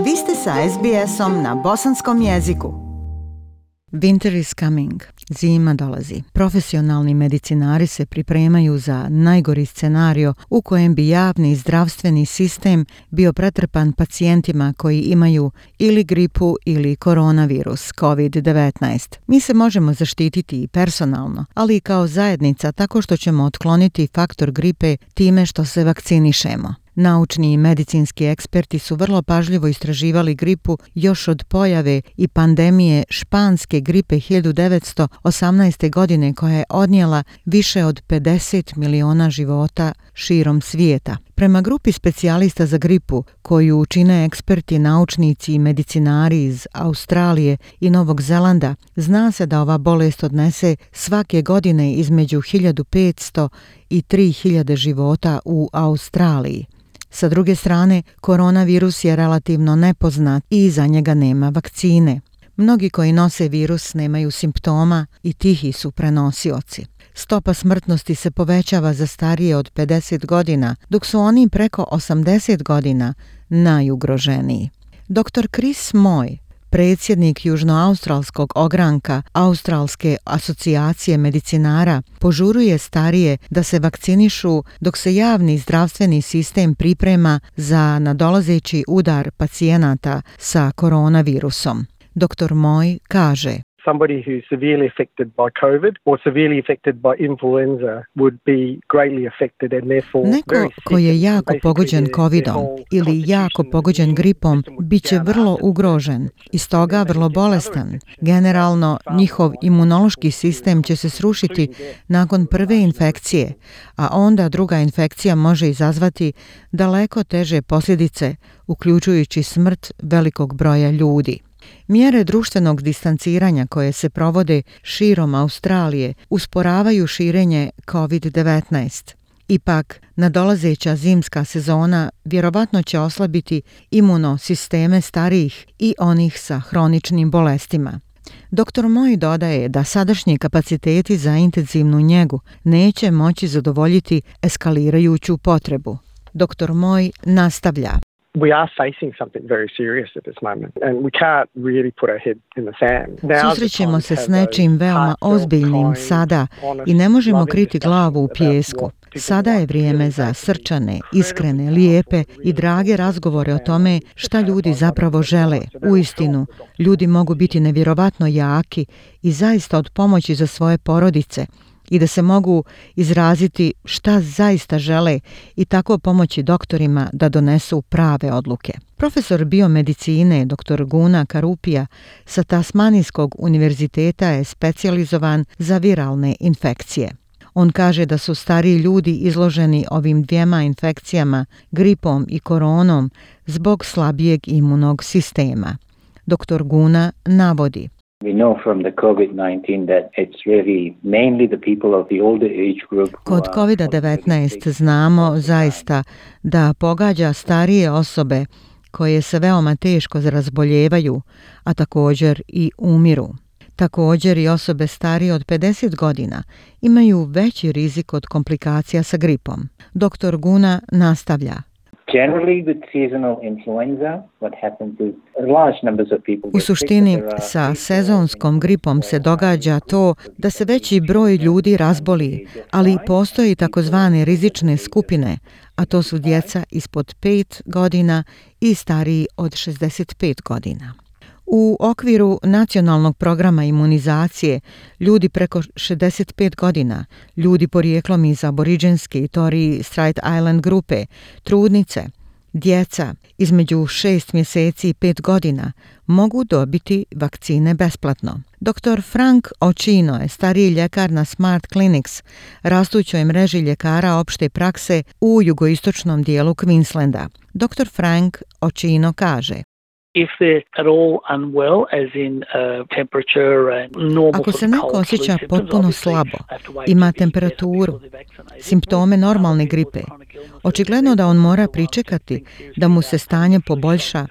Vi ste sa SBS-om na bosanskom jeziku. Winter is coming. Zima dolazi. Profesionalni medicinari se pripremaju za najgori scenario u kojem bi javni zdravstveni sistem bio pretrpan pacijentima koji imaju ili gripu ili koronavirus COVID-19. Mi se možemo zaštititi i personalno, ali i kao zajednica tako što ćemo otkloniti faktor gripe time što se vakcinišemo. Naučni i medicinski eksperti su vrlo pažljivo istraživali gripu još od pojave i pandemije španske gripe 1918. godine koja je odnijela više od 50 miliona života širom svijeta. Prema grupi specijalista za gripu, koju čine eksperti, naučnici i medicinari iz Australije i Novog Zelanda, zna se da ova bolest odnese svake godine između 1500 i 3000 života u Australiji. Sa druge strane, koronavirus je relativno nepoznat i za njega nema vakcine. Mnogi koji nose virus nemaju simptoma i tihi su prenosioci. Stopa smrtnosti se povećava za starije od 50 godina, dok su oni preko 80 godina najugroženiji. Dr. Chris Moy, predsjednik južnoaustralskog ogranka Australske asocijacije medicinara, požuruje starije da se vakcinišu dok se javni zdravstveni sistem priprema za nadolazeći udar pacijenata sa koronavirusom. Dr. Moy kaže: Somebody who's severely affected by COVID or severely affected by influenza would be greatly affected and therefore Neko ko je jako pogođen covidom ili jako pogođen gripom bit će vrlo ugrožen i stoga vrlo bolestan. Generalno, njihov imunološki sistem će se srušiti nakon prve infekcije, a onda druga infekcija može izazvati daleko teže posljedice, uključujući smrt velikog broja ljudi. Mjere društvenog distanciranja koje se provode širom Australije usporavaju širenje COVID-19. Ipak, nadolazeća zimska sezona vjerovatno će oslabiti imunosisteme starijih i onih sa hroničnim bolestima. Dr. Moy dodaje da sadašnji kapaciteti za intenzivnu njegu neće moći zadovoljiti eskalirajuću potrebu. Dr. Moy nastavlja: We are facing something very serious at this moment and we can't really put our head in the sand. Susrećemo se s nečim veoma ozbiljnim sada i ne možemo kriti glavu u pijesku. Sada je vrijeme za srčane, iskrene, lijepe i drage razgovore o tome šta ljudi zapravo žele. Uistinu, ljudi mogu biti nevjerovatno jaki i zaista od pomoći za svoje porodice i da se mogu izraziti šta zaista žele i tako pomoći doktorima da donesu prave odluke. Profesor biomedicine dr. Guna Karupija sa Tasmanijskog univerziteta je specijalizovan za viralne infekcije. On kaže da su stariji ljudi izloženi ovim dvijema infekcijama, gripom i koronom, zbog slabijeg imunog sistema. Dr. Guna navodi: We know from the COVID-19 that it's really mainly the people of the older age group. Kod COVID-19 znamo zaista da pogađa starije osobe koje se veoma teško razboljevaju, a također i umiru. Također i osobe starije od 50 godina imaju veći rizik od komplikacija sa gripom. Dr. Guna nastavlja: Generally with seasonal influenza, what happens is large numbers of people. U suštini, sa sezonskom gripom se događa to da se veći broj ljudi razboli, ali postoji takozvane rizične skupine, a to su djeca ispod 5 godina i stariji od 65 godina. U okviru nacionalnog programa imunizacije, ljudi preko 65 godina, ljudi porijeklom iz aboriđenske i Torres Strait Island grupe, trudnice, djeca između 6 mjeseci i 5 godina mogu dobiti vakcine besplatno. Dr. Frank Očino je stariji ljekar na Smart Clinics, rastućoj mreži ljekara opšte prakse u jugoistočnom dijelu Queenslanda. Dr. Frank Očino kaže: If they're at all unwell, as in temperature and normal. Ako se neko osjeća potpuno slabo, ima temperaturu, simptome normalne gripe, očigledno da on mora pričekati da mu se stanje poboljša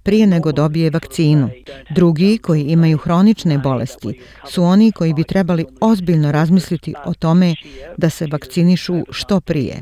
prije nego dobije vakcinu. Drugi, koji imaju hronične bolesti, su oni koji bi trebali ozbiljno razmisliti o tome da se vakcinišu što prije.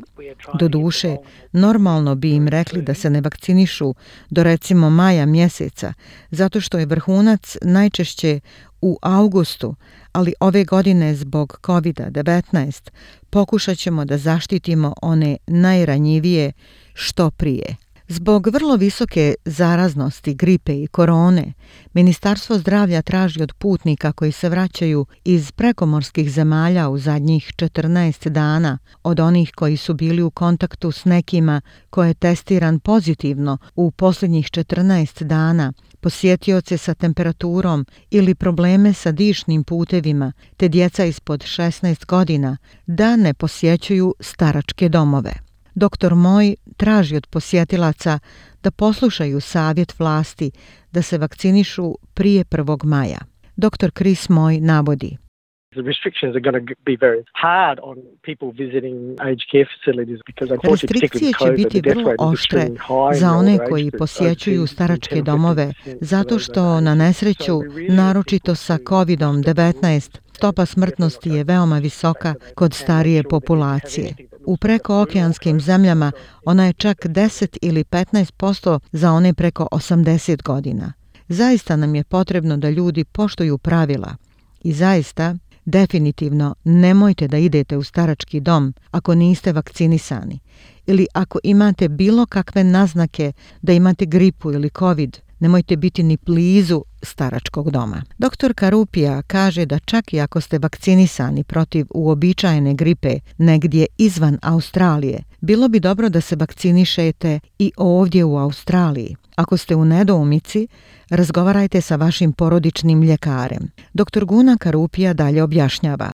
Doduše, normalno bi im rekli da se ne vakcinišu do recimo maja mjeseca, zato što je vrhunac najčešće u augustu, ali ove godine zbog COVID-19 pokušat ćemo da zaštitimo one najranjivije što prije. Zbog vrlo visoke zaraznosti gripe i korone, Ministarstvo zdravlja traži od putnika koji se vraćaju iz prekomorskih zemalja u zadnjih 14 dana, od onih koji su bili u kontaktu s nekima ko je testiran pozitivno u posljednjih 14 dana, posjetioce sa temperaturom ili probleme sa dišnim putevima, te djeca ispod 16 godina, da ne posjećuju staračke domove. Dr. Moj traži od posjetilaca da poslušaju savjet vlasti da se vakcinišu prije 1. maja. Dr. Chris Moj navodi: The restrictions are going to be very hard on people visiting aged care facilities because unfortunately, Restrikcije će biti vrlo oštre za one koji posjećuju staračke domove, zato što na nesreću, naročito sa COVID-19, stopa smrtnosti je veoma visoka kod starije populacije. U prekookeanskim zemljama ona je čak 10 ili 15% za one preko 80 godina. Zaista nam je potrebno da ljudi poštuju pravila i zaista, definitivno nemojte da idete u starački dom ako niste vakcinisani ili ako imate bilo kakve naznake da imate gripu ili COVID, nemojte biti ni blizu staračkog doma. Dr. Karupija kaže da čak i ako ste vakcinisani protiv uobičajene gripe negdje izvan Australije, bilo bi dobro da se vakcinišete i ovdje u Australiji. Ako ste u nedoumici, razgovarajte sa vašim porodičnim ljekarem. Dr. Guna Karupija dalje objašnjava: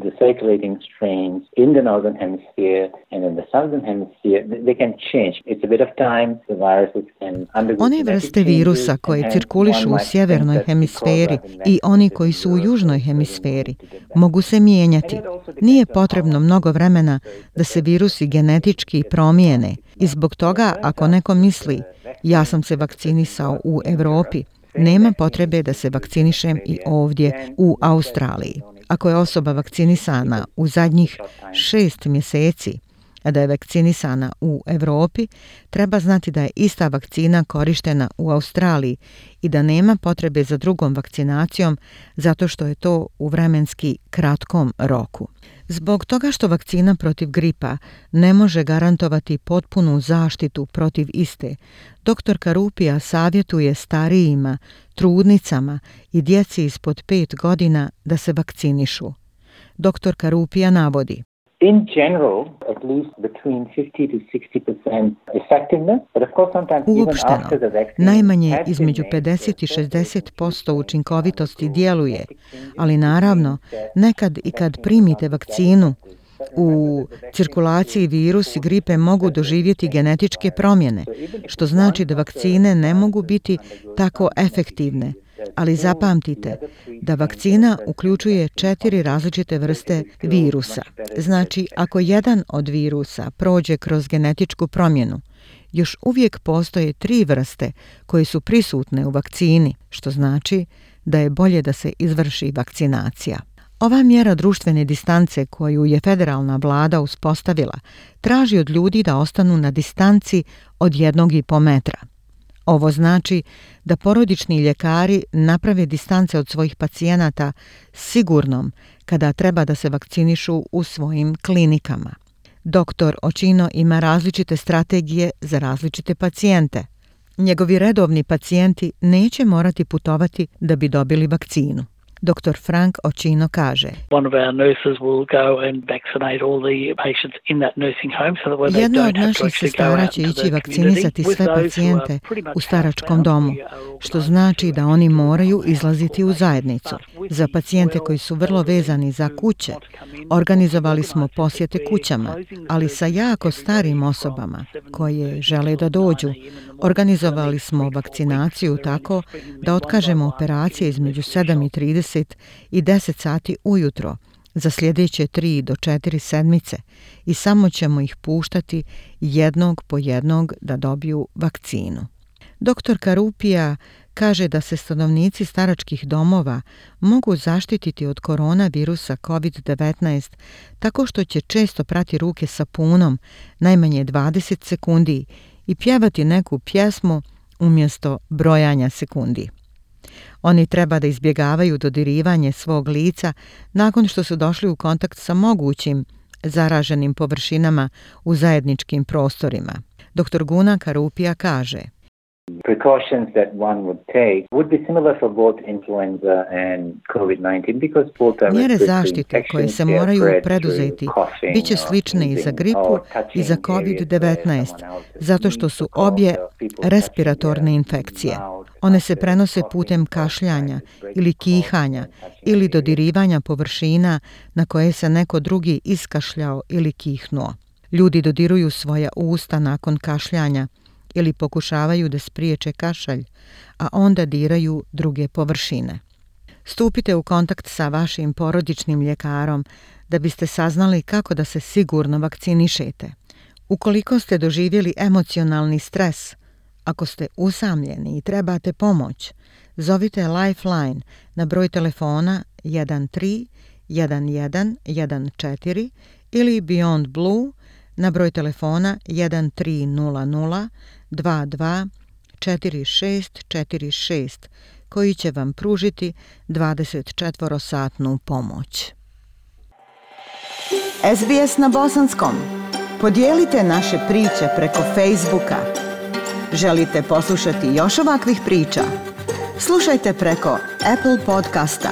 The circulating strains in the northern hemisphere and in the southern hemisphere, they can change. It's a bit of time. The viruses can undergo one vrste virusa koje cirkulišu u sjevernoj hemisferi i oni koji su u južnoj hemisferi mogu se mijenjati. Nije potrebno mnogo vremena da se virusi genetički promijene i zbog toga ako neko misli ja sam se vakcinisao u Europi, nema potrebe da se vakcinišem i ovdje u Australiji. Ako je osoba vakcinisana u zadnjih 6 mjeseci, a da je vakcinisana u Europi, treba znati da je ista vakcina korištena u Australiji i da nema potrebe za drugom vakcinacijom zato što je to u vremenski kratkom roku. Zbog toga što vakcina protiv gripa ne može garantovati potpunu zaštitu protiv iste, dr. Karupija savjetuje starijima, trudnicama i djeci ispod 5 godina da se vakcinišu. Dr. Karupija navodi: In general, at least between 50 to 60% effectiveness, but of course sometimes even after the vaccine, najmanje između 50 i 60% učinkovitosti djeluje, ali naravno, nekad i kad primite vakcinu, u cirkulaciji virusi gripe mogu doživjeti genetičke promjene, što znači da vakcine ne mogu biti tako efektivne. Ali zapamtite da vakcina uključuje 4 različite vrste virusa. Znači, ako jedan od virusa prođe kroz genetičku promjenu, još uvijek postoje 3 vrste koje su prisutne u vakcini, što znači da je bolje da se izvrši vakcinacija. Ova mjera društvene distance koju je federalna vlada uspostavila traži od ljudi da ostanu na distanci od 1,5 metra. Ovo znači da porodični ljekari naprave distance od svojih pacijenata sigurnom kada treba da se vakcinišu u svojim klinikama. Dr. Očino ima različite strategije za različite pacijente. Njegovi redovni pacijenti neće morati putovati da bi dobili vakcinu. Dr. Frank Očino kaže: jedna od naših sestara će ići vakcinisati sve pacijente u staračkom domu, što znači da oni moraju izlaziti u zajednicu. Za pacijente koji su vrlo vezani za kuće, organizovali smo posjete kućama, ali sa jako starim osobama koje žele da dođu, organizovali smo vakcinaciju tako da otkažemo operacije između 7:30 i 10 sati ujutro za sljedeće 3 do 4 sedmice i samo ćemo ih puštati jednog po jednog da dobiju vakcinu. Dr. Karupija kaže da se stanovnici staračkih domova mogu zaštititi od koronavirusa COVID-19 tako što će često prati ruke sapunom najmanje 20 sekundi i pjevati neku pjesmu umjesto brojanja sekundi. Oni treba da izbjegavaju dodirivanje svog lica nakon što su došli u kontakt sa mogućim zaraženim površinama u zajedničkim prostorima. Dr. Guna Karupija kaže: Precautions that one would take would be similar for both influenza and COVID-19 because both are Mjere respiratory zaštite koje se moraju preduzeti bit će slične i za gripu i za COVID-19, zato što su obje respiratorne infekcije. One se prenose putem kašljanja ili kihanja ili dodirivanja površina na koje se neko drugi iskašljao ili kihnuo. Ljudi dodiruju svoja usta nakon kašljanja ili pokušavaju da spriječe kašalj, a onda diraju druge površine. Stupite u kontakt sa vašim porodičnim ljekarom da biste saznali kako da se sigurno vakcinišete. Ukoliko ste doživjeli emocionalni stres, ako ste usamljeni i trebate pomoć, zovite Lifeline na broj telefona 131114 ili Beyond Blue na broj telefona 1300 22 4646 koji će vam pružiti 24-satnu pomoć. SBS na bosanskom. Podijelite naše priče preko Facebooka. Želite poslušati još ovakvih priča? Slušajte preko Apple podcasta,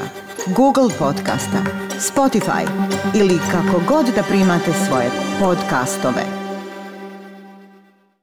Google podcasta, Spotify ili kako god da primate svoje podcastove.